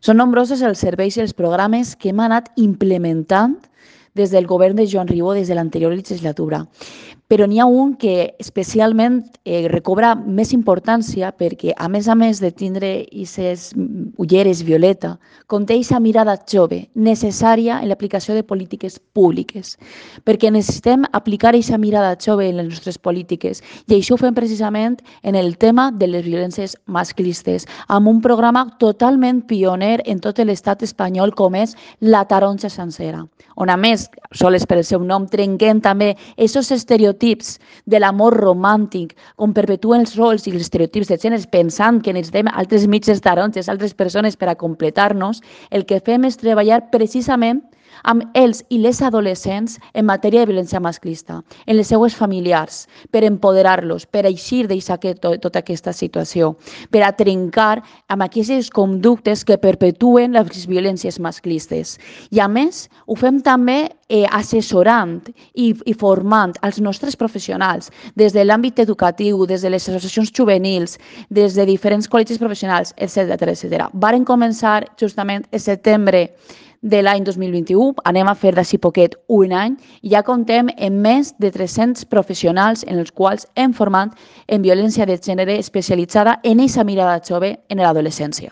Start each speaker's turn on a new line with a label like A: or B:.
A: Són nombrosos els serveis i els programes que hem anat implementant des del govern de Joan Ribó des de l'anterior legislatura. Però n'hi ha un que especialment recobra més importància perquè, a més de tindre aquestes ulleres violeta, conté aquesta mirada jove necessària en l'aplicació de polítiques públiques, perquè necessitem aplicar aquesta mirada jove en les nostres polítiques i això ho fem precisament en el tema de les violències masclistes, amb un programa totalment pioner en tot l'estat espanyol com és La Taronja Sencera, on a més, sols per el seu nom, trenquem també aquests estereotips de l'amor romàntic, on perpetuen els rols i els estereotips de gènere pensant que necessitem altres mitges taronges, altres persones per a completar-nos. El que fem és treballar precisament amb els i les adolescents en matèria de violència masclista, en les seues familiars, per empoderar-los, per eixir tota aquesta situació, per a trencar amb aquestes conductes que perpetuen les violències masclistes. I a més, ho fem també assessorant i formant els nostres professionals des de l'àmbit educatiu, des de les associacions juvenils, des de diferents col·legis professionals, etc. Varen començar justament el setembre de l'any 2021, anem a fer d'ací poquet un any, i ja comptem amb més de 300 professionals en els quals hem format en violència de gènere especialitzada en aquesta mirada jove en l'adolescència.